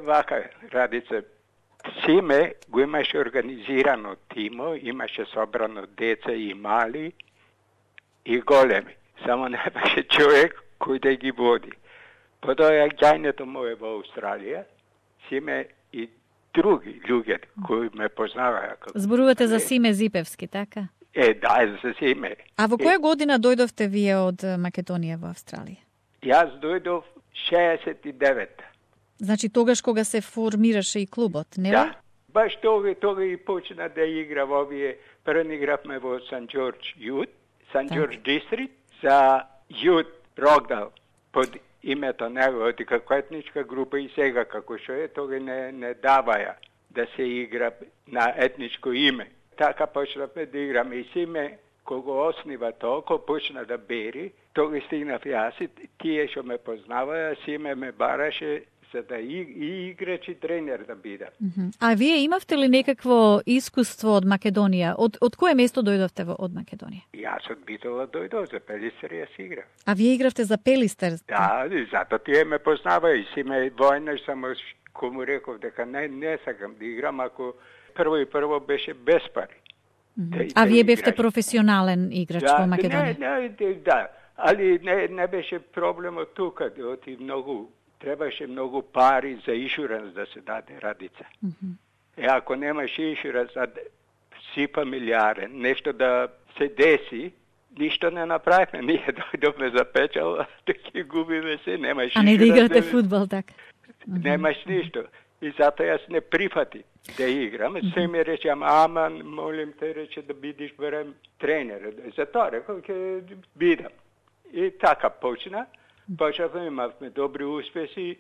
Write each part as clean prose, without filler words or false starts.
Вака, Радица, Симе го имаше организирано тимо, имаше собрано деца и мали и големи. Само немаше човек кој да ги води. Потоа гајнето моје во Австралија, Симе и други луѓе кои ме познаваја. Зборувате за Симе Зипевски, така? Да, за Симе. А во која година дојдовте вие од Македонија во Австралија? Јас дојдов 69. Значи тогаш кога се формираше и клубот, не? Да. Баш тога и почна да игра во овие. Прво игравме во Сан Џорџ Јут, Сан Џорџ Дистрикт, за Јут Рокдал, под името негово, како етничка група и сега како што е, тога не даваја да се игра на етничко име. Така почнавме да играме и Симе, кога оснива толку, почна да бери, тога стигнав јас и тие што ме познаваја, Симе ме бараше за да и играч и тренер да бидам. А вие имавте ли некакво искуство од Македонија? Од кое место дојдовте од Македонија? Јас од Битола дојдов, за Пелистер јас играв. А вие игравте за Пелистер? Да, и затоа тие ме познава и Симе војнаш, само кому реков дека не сакам да играм, ако прво беше без пари. А вие бевте професионален играч во Македонија? Да, али не беше проблемот тука, оти требаше многу пари за иншуранс да се даде, Радица. Ако немаш иншуранс, си фамилиарен, нешто да се деси, ништо не направихме. Ние дојдовме за печал, да ги губиме се, немаш иншуранс. А не да играте фудбал, така? Немаш ништо. И затоа јас не прифати да играм. Се ми рече, ама, молим те, рече да бидиш барем тренер. Затоа рекол, ќе бидам. И така почна. Почнавме, имавме добри успеси,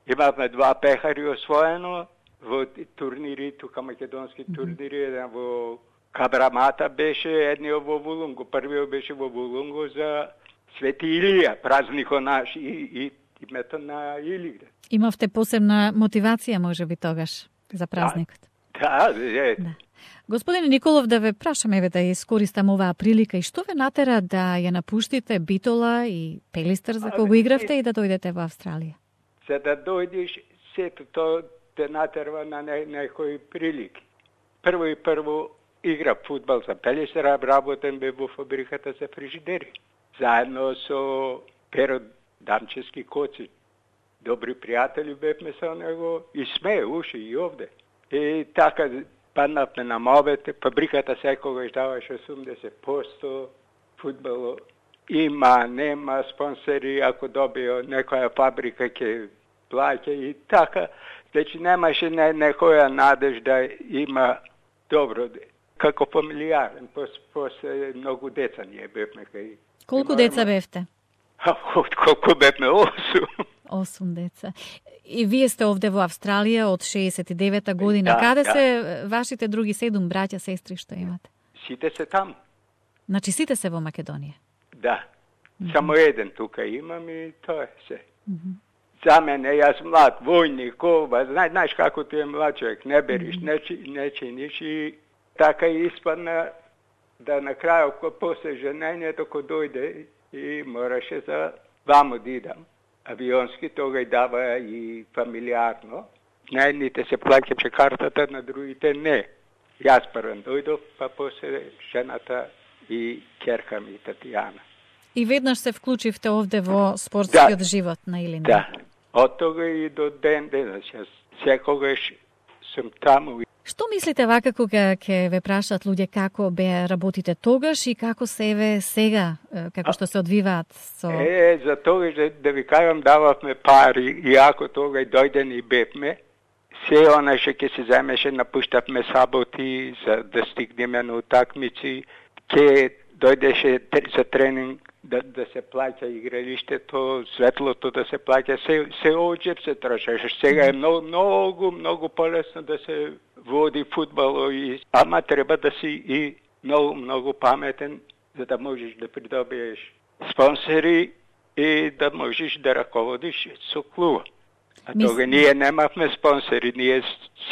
имавме 2 пехари освоено во турнири, тука македонски турнири, еден во Кабрамата беше, едниот во Вулунго, првиот беше во Вулунго за Свети Илија, празникот наш и името на Илигра. Имавте посебна мотивација, може би, тогаш, за празникот? Да. Господине Николов, да ве прашам, еве да искористам оваа прилика, и што ве натера да ја напуштите Битола и Пелистер за кога игравте и да дојдете во Австралија? За да дојдеш, сето тоа те натерва на некои прилики. Прво игра фудбал за Пелистер, работен бе во фабриката за фрижидери. Заедно со Перо Дамчевски Коци. Добри пријатели бевме со него и сме уши и овде. И така паднавме на мовете, фабриката секогаш даваше 80% фудбало. Има, нема спонсори, ако добио некоја фабрика ќе плаќа и така. Значи немаше некоја надежда има добро, како фамилиарен, после многу деца ние бевме кај. Колку деца бевте? Колку бевме? 8. 8 деца. И вие сте овде во Австралија од 69-та година. Каде се вашите други 7 браќа, сестри што имате? Сите се таму. Значи сите се во Македонија? Да. Само еден тука имам и тоа е се. За мене, јас млад, војник, знаеш како ти е млад човек, не бериш, не чиниш и така испадна да на крајот, после женењето, кој дојде и мораше за вамо да идам. Авионски тога и дава и фамилиарно. На едните се плаќаше картата, на другите не. Јас првен дојдов, па после жената и ќерка ми Татјана. И веднаш се вклучивте овде во спортскиот живот на Илина? Да. Од тога и до денес. Јас секогаш сум таму. Што мислите вака кога ќе ве прашаат луѓе како бе работите тогаш и како се еве сега, како што се одвиваат со... За тогаш да ви кажам, дававме пари и ако тога и дојден и бевме, се она што ќе се земеше, напуштавме саботи за да стигнеме на утакмици, ќе дојдеше за тренинг да се плаќа игралиштето, светлото да се плаќа, се оџеп се трошеше. Сега е многу полесно да се води фудбал, ама треба да си и многу паметен за да можеш да придобиеш спонсори и да можеш да раководиш со клуба. А тога ние немавме спонсори, ние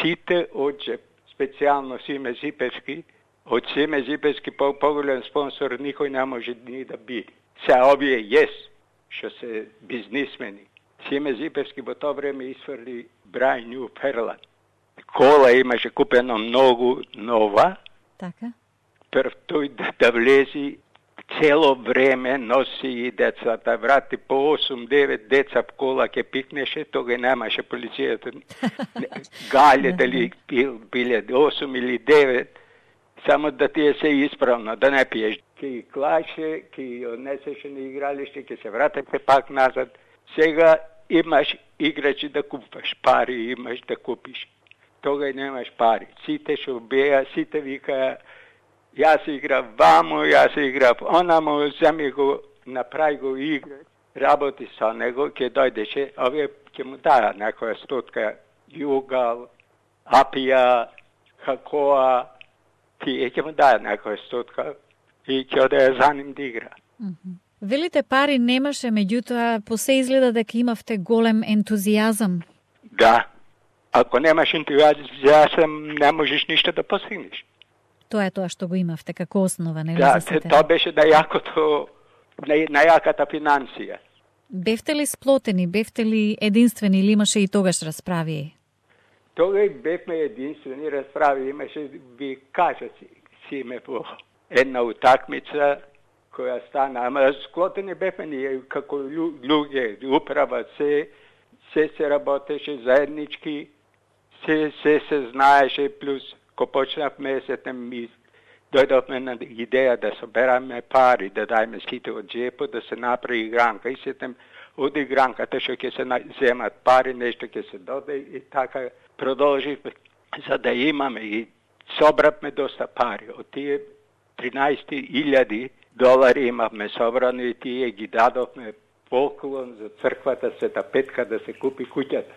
сите оџеп, специјално Симе Зипевски, од Симе Зипевски поголем спонсор никој не може ни да биде. Се овие што се бизнисмени, Симе Зипевски во тоа време изфрли Брайан Нью Ферлан. Кола имаше купено многу нова. Така. Прв тој да влези, цело време носи и децата, врати по 8-9 деца в кола ке пикнеше, тога немаше полицијата. Гале дали биле 8 или 9, само да ти е се исправно, да не пиеш. Ке клаше, ке однесеше на игралиште, ке се вратете пак назад. Сега имаш играчи да купаш, пари имаш да купиш. Тога и немаш пари. Сите шо беа, сите вика, јас играв ваму, јас играв онаму, земи го, направи го игра, работи со него, ке дојдеше, овие ке му даја некоја стотка југал, апија, хакоа, тие ке му даја некоја стотка и ке одеја за ним да игра. Велите пари немаше, меѓутоа по се изгледа дека имавте голем ентузијазам. Да. Ако немаш ентузијазам, не можеш ништо да постигнеш. Тоа е тоа што го имавте како основа, нели? Да, тоа беше најаката финансија. Бевте ли сплотени, бевте ли единствени или имаше и тогаш расправи? Тогаш бевме единствени расправи, имаше, ви кажа си ме по една утакмица која стана, ама склотени бевме ние како луѓе, управа се работеше заеднички, се знаеше, плюс ко почнавме ми дојдовме на идеја да собераме пари, да дајме сите од джепот, да се направи игранка и сетем од игранката што ќе се земат пари, нешто ќе се додаде и така продолживме за да имаме и собравме доста пари. Од тие 13.000 имавме собрано и тие ги дадовме поклон за црквата Света Петка да се купи куќата.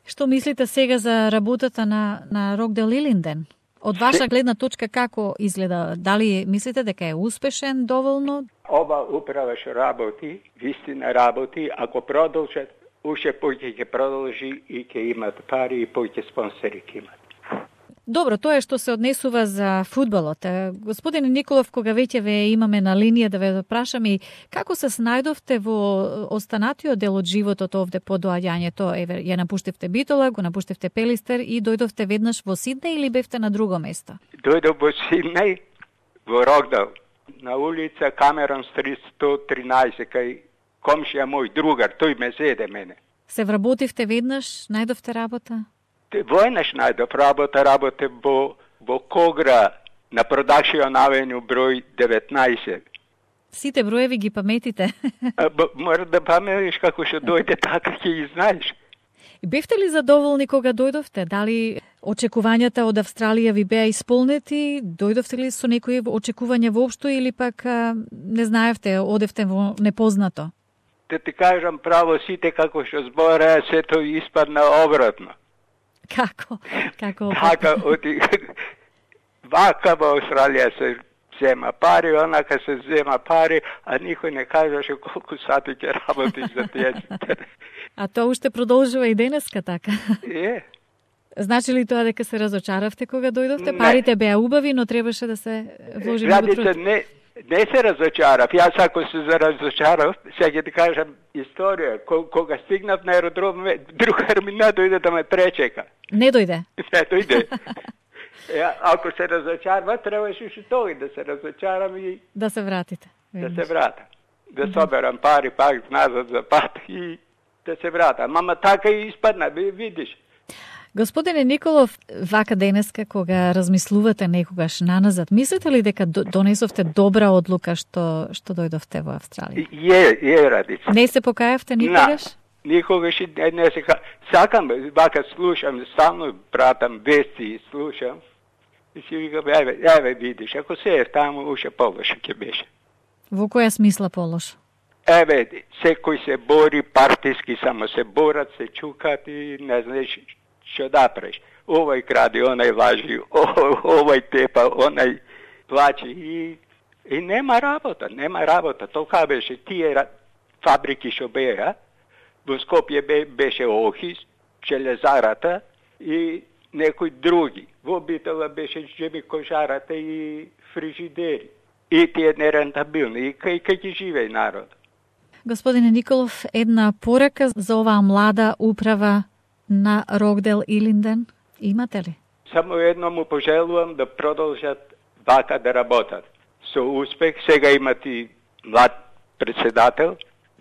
Што мислите сега за работата на Рокдел Илинден? Од ваша гледна точка како изгледа? Дали мислите дека е успешен доволно? Ова управа што работи, вистина работи, ако продолжат, уште повеќе ќе продолжи и ќе имат пари и повеќе спонсори ќе имат. Добро, тоа е што се однесува за фудбалот. Господине Николов, кога веќе ве имаме на линија да ве прашам и како се снајдовте во останатиот дел од животот овде по доаѓањето? Еве, ја напуштивте Битола, го напуштивте Пелистер и дојдовте веднаш во Сиднеј или бевте на друго место? Дојдов во Сиднеј, во Рокдел, на улица Камерон Стрит 113, кај комшија мој другар, тој ме зеде мене. Се вработивте веднаш, најдовте работа? Војнаш најдов работе во Когра на Продакшион Авеню број 19. Сите броеви ги паметите? Мора да паметиш како што дојде, така ќе ги знаеш. И бевте ли задоволни кога дојдовте? Дали очекувањата од Австралија ви беа исполнети? Дојдовте ли со некои очекувања воопшто или пак не знаевте, одевте во непознато? Да ти кажам право, сите како што збореа, сето испадна обратно. Како? Така, вака во Австралија се зема пари, онака се зема пари, а никој не кажеше колку сати ќе работиш за тие. А тоа уште продолжува и денеска така? Е. Значи ли тоа дека се разочаравте кога дојдовте? Не. Парите беа убави, но требаше да се вложи во труд. Не се разочарав. Јас ако се разочарав, сега ќе ти кажам историја. Кога стигнав на аеродром, другар ми не дојде да ме пречека. Не дојде? Не дојде. Ако се разочарва, требаше што тој да се разочарам и... Да се вратите. Да се врата. Да соберам пари пак назад за пат и да се врата. Мама така и испадна, видиш. Господине Николов, вака денеска кога размислувате некогаш наназад, мислите ли дека донесовте добра одлука што дојдовте во Австралија? Е, Радица. Не се покајавте никогаш? Никогаш не се сакам, вака слушам, стално пратам вести и слушам. И си викам, еве видиш, ако се е таму, уште полошо ќе беше. Во која смисла полошо? Еве, секој се бори партиски, само се борат, се чукат и не знаеш што да преш. Овој кради, онај лажи, овој тепа, онај плачи и нема работа. Толка беше тие фабрики што беа, во Скопје беше Охис, Железарата и некои други. Во Битола беше Жеми кожарата и фрижидери. И тие нерентабилни. И кај ќе живее народ? Господине Николов, една порака за оваа млада управа на Рокдел Илинден имате ли? Само едно му пожелувам да продолжат вака да работат. Со успех сега имат и млад председател,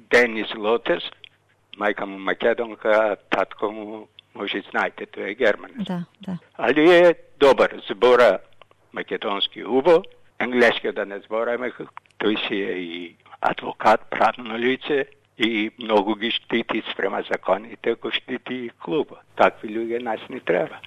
Денис Лотес, мајка му македонка, татко му, може знаете, тој е германец. Да. Али е добар, збора македонски убо, енглески да не збораме, тој си е и адвокат, правно лице и многу ги штити спрема законите, кои штити и клуба. Такви луѓе нас не треба.